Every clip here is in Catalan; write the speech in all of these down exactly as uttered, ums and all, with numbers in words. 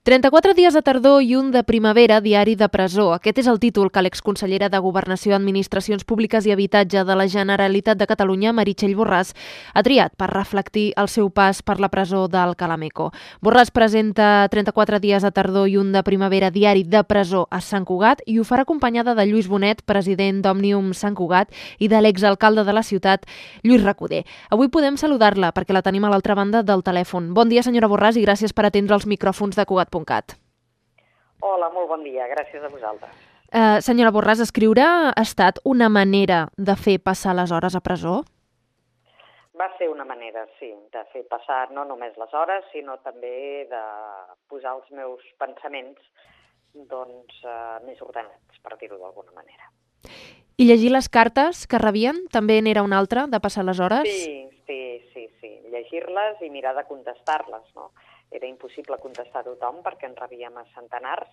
trenta-quatre dies de tardor i un de primavera, diari de presó. Aquest és el títol que l'exconsellera de Governació, Administracions Públiques i Habitatge de la Generalitat de Catalunya, Meritxell Borràs, ha triat per reflectir el seu pas per la presó d'Alcalá Meco. Borràs presenta trenta-quatre dies de tardor i un de primavera, diari de presó a Sant Cugat, i ho farà acompanyada de Lluís Bonet, president d'Òmnium Sant Cugat, i de l'exalcalde de la ciutat, Lluís Recoder. Avui podem saludar-la perquè la tenim a l'altra banda del telèfon. Bon dia, senyora Borràs, i gràcies per atendre els micròfons de Cugat. Hola, molt bon dia, gràcies a vosaltres. Uh, senyora Borràs, escriure ha estat una manera de fer passar les hores a presó? Va ser una manera, sí, de fer passar no només les hores, sinó també de posar els meus pensaments doncs, uh, més ordenats, per dir-ho d'alguna manera. I llegir les cartes que rebien també n'era una altra, de passar les hores? Sí, sí, sí, sí. Llegir-les i mirar de contestar-les, no? Era impossible contestar a tothom perquè en rebíem a centenars,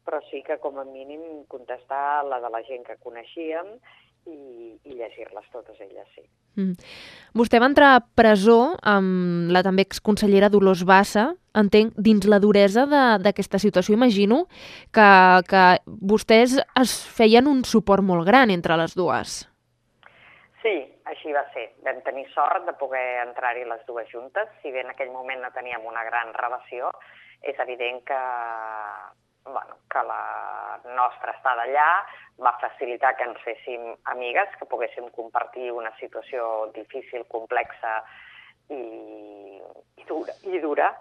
però sí que com a mínim contestar la de la gent que coneixíem i, i llegir-les totes elles, sí. Mm. Vostè va entrar a presó amb la també exconsellera Dolors Bassa, entenc, dins la duresa d'aquesta situació. Imagino que, que vostès es feien un suport molt gran entre les dues. Sí, així va ser. Vam tenir sort de poder entrar-hi les dues juntes. Si bé en aquell moment no teníem una gran relació, és evident que, bueno, que la nostra estada allà va facilitar que ens féssim amigues, que poguéssim compartir una situació difícil, complexa i, i, dura, i dura,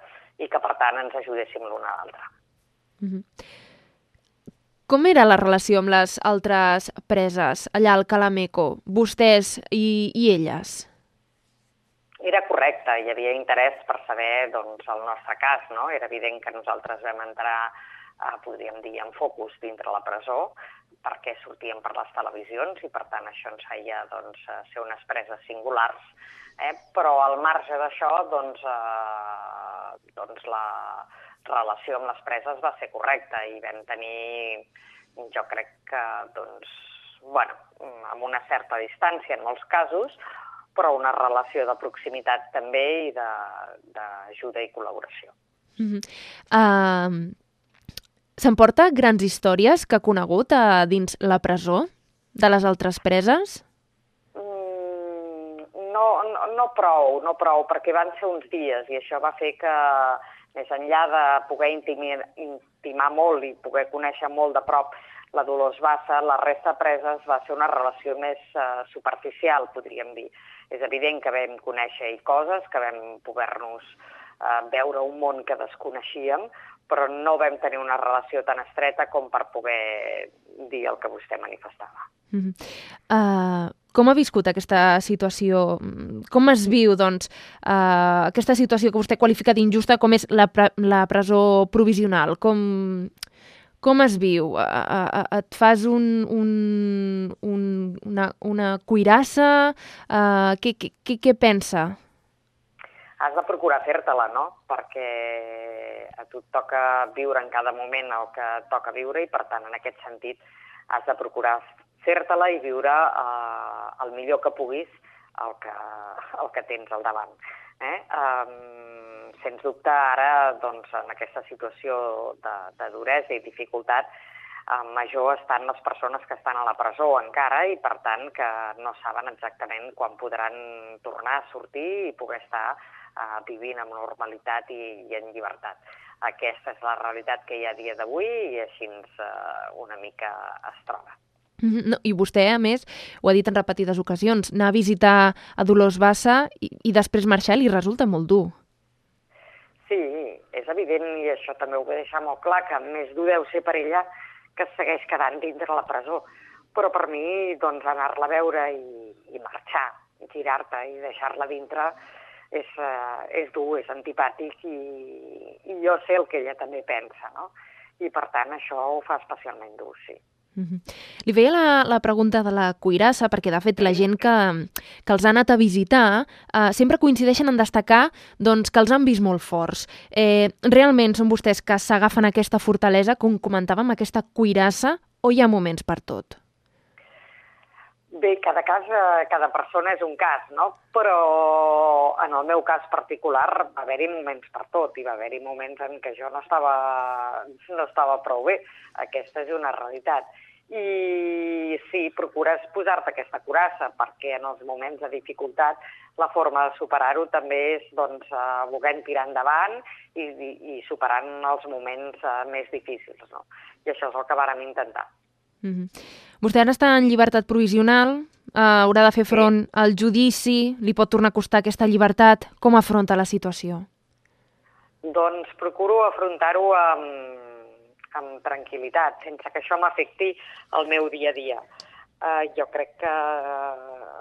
i que per tant ens ajudéssim l'una a l'altra. Mm-hmm. Com era la relació amb les altres preses allà al Alcalá Meco, vostès i, i elles? Era correcte, hi havia interès per saber doncs, el nostre cas, no? Era evident que nosaltres vam entrar, eh, podríem dir, en focus dintre la presó, perquè sortíem per les televisions i per tant això ens feia doncs, ser unes preses singulars, eh? Però al marge d'això doncs, eh, doncs la relació amb les preses va ser correcta i vam tenir, jo crec que, doncs, bueno, amb una certa distància en molts casos, però una relació de proximitat també i d'ajuda i col·laboració. Mm-hmm. Uh, S'emporta grans històries que ha conegut a dins la presó de les altres preses? Mm, no, no, no prou, no prou, perquè van ser uns dies i això va fer que més enllà de poder intimir, intimar molt i poder conèixer molt de prop la Dolors Bassa, la resta de preses va ser una relació més uh, superficial, podríem dir. És evident que vam conèixer coses, que vam poder-nos uh, veure un món que desconeixíem, però no vam tenir una relació tan estreta com per poder dir el que vostè manifestava. Mm-hmm. Uh, com ha viscut aquesta situació? Com es viu, doncs, uh, aquesta situació que vostè qualifica d'injusta, com és la, pre la presó provisional? Com, com es viu? Uh, uh, et fas un, un, un, una, una cuirassa? Uh, què, què, què pensa? Has de procurar fer-te-la, no? Perquè a tu et toca viure en cada moment el que toca viure i, per tant, en aquest sentit, has de procurar fer-te-la i viure eh, el millor que puguis el que, el que tens al davant. Eh? Um, sens dubte, ara, doncs, en aquesta situació de, de duresa i dificultat, eh, major estan les persones que estan a la presó encara i, per tant, que no saben exactament quan podran tornar a sortir i poder estar eh, vivint amb normalitat i, i en llibertat. Aquesta és la realitat que hi ha a dia d'avui i així eh, una mica es troba. No, i vostè, a més, ho ha dit en repetides ocasions, anar a visitar a Dolors Bassa i, i després marxar li resulta molt dur. Sí, és evident, i això també ho vull deixar molt clar, que més dur deu ser per ella que es segueix quedant dintre la presó. Però per mi, doncs, anar-la a veure i, i marxar, girar-te i deixar-la dintre és, uh, és dur, és antipàtic i, i jo sé el que ella també pensa, no? I per tant això ho fa especialment dur, sí. Mm-hmm. Li feia la, la pregunta de la cuirassa perquè de fet la gent que, que els ha anat a visitar eh, sempre coincideixen en destacar doncs, que els han vist molt forts. Eh, realment són vostès que s'agafen aquesta fortalesa, com comentàvem, aquesta cuirassa, o hi ha moments per tot? Bé, cada cas, eh, cada persona és un cas, no? Però en el meu cas particular va haver-hi moments per tot, i va haver-hi moments en què jo no estava, no estava prou bé. Aquesta és una realitat. I sí, procures posar-te aquesta coraça, perquè en els moments de dificultat la forma de superar-ho també és doncs, eh, volent tirar endavant i, i, i superant els moments eh, més difícils, no? I això és el que vàrem intentar. Mm-hmm. Vostè ara està en llibertat provisional, eh, haurà de fer front sí. al judici, li pot tornar a costar aquesta llibertat. Com afronta la situació? Doncs procuro afrontar-ho amb, amb tranquil·litat, sense que això m'afecti el meu dia a dia. Uh, jo crec que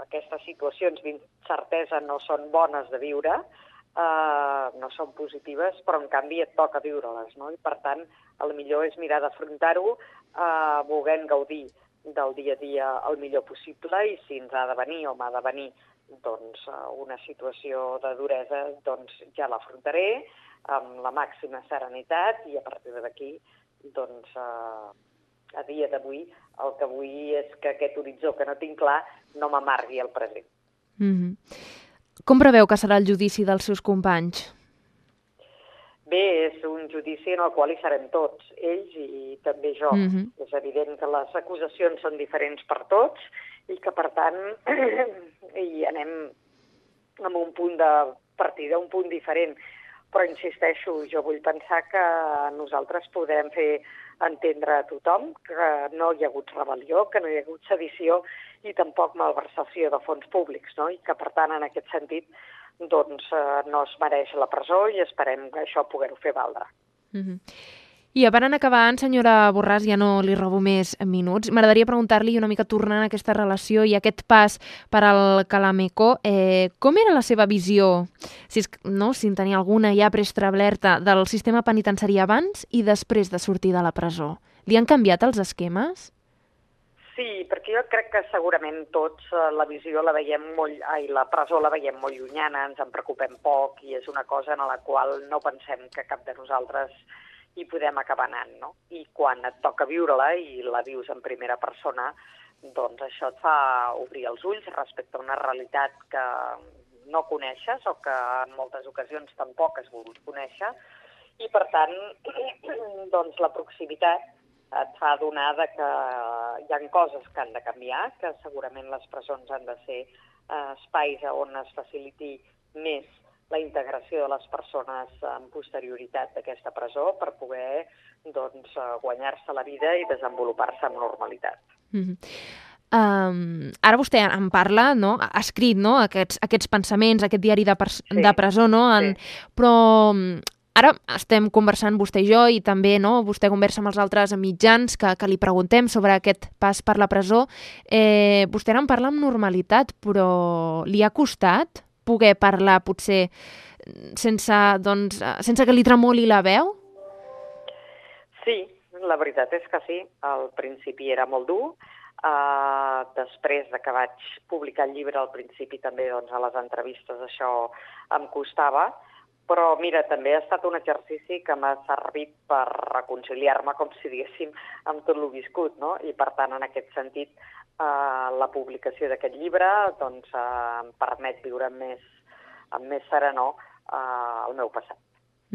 aquestes situacions d'incertesa no són bones de viure, uh, no són positives, però en canvi et toca viure-les, no? I per tant, el millor és mirar d'afrontar-ho uh, volent gaudir del dia a dia el millor possible, i si ens ha de venir o m'ha de venir doncs, una situació de duresa, doncs ja l'afrontaré amb la màxima serenitat, i a partir d'aquí, doncs, eh, a dia d'avui, el que vull és que aquest horitzó que no tinc clar no m'amargui el present. Mm-hmm. Com preveu que serà el judici dels seus companys? Bé, és un judici en el qual hi serem tots, ells i també jo. Mm-hmm. És evident que les acusacions són diferents per tots i que, per tant, hi anem amb un punt de partida, un punt diferent. Però insisteixo, jo vull pensar que nosaltres podrem fer entendre a tothom que no hi ha hagut rebel·lió, que no hi ha hagut sedició i tampoc malversació de fons públics, no? I que, per tant, en aquest sentit, doncs eh, no es mereix la presó i esperem que això poder-ho fer valdre. Mm-hmm. I a part en acabant, senyora Borràs, ja no li robo més minuts, m'agradaria preguntar-li una mica tornant a aquesta relació i aquest pas per al Calamecó, eh, com era la seva visió, si, és, no, si en tenia alguna ja preestablerta, del sistema penitenciari abans i després de sortir de la presó? Li han canviat els esquemes? Sí, perquè jo crec que segurament tots eh, la visió la veiem molt, ai, la presó la veiem molt llunyana, ens en preocupem poc i és una cosa en la qual no pensem que cap de nosaltres hi podem acabar anant, no? I quan et toca viure-la i la vius en primera persona, doncs això et fa obrir els ulls respecte a una realitat que no coneixes o que en moltes ocasions tampoc has volgut conèixer, i per tant, doncs la proximitat et fa adonar que hi ha coses que han de canviar, que segurament les presons han de ser eh, espais on es faciliti més la integració de les persones en posterioritat d'aquesta presó per poder doncs, guanyar-se la vida i desenvolupar-se amb normalitat. Mm-hmm. Um, ara vostè en parla, no? Ha escrit, no? aquests, aquests pensaments, aquest diari de, sí. de presó, no? En, sí. Però ara estem conversant vostè i jo i també no? Vostè conversa amb els altres mitjans que, que li preguntem sobre aquest pas per la presó. Eh, vostè ara en parla amb normalitat, però li ha costat poder parlar potser sense, doncs, sense que li tremoli la veu? Sí, la veritat és que sí. Al principi era molt dur. Uh, després de que vaig publicar el llibre, al principi també doncs, a les entrevistes això em costava. Però mira, també ha estat un exercici que m'ha servit per reconciliar-me, com si diguéssim, amb tot el viscut, no? I per tant, en aquest sentit, Uh, la publicació d'aquest llibre doncs, uh, em permet viure amb més, amb més serenor uh, el meu passat.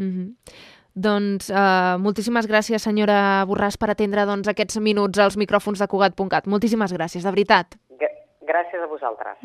Mm-hmm. Doncs uh, moltíssimes gràcies, senyora Borràs, per atendre doncs, aquests minuts als micròfons de Cugat punt cat. Moltíssimes gràcies, de veritat. G- gràcies a vosaltres.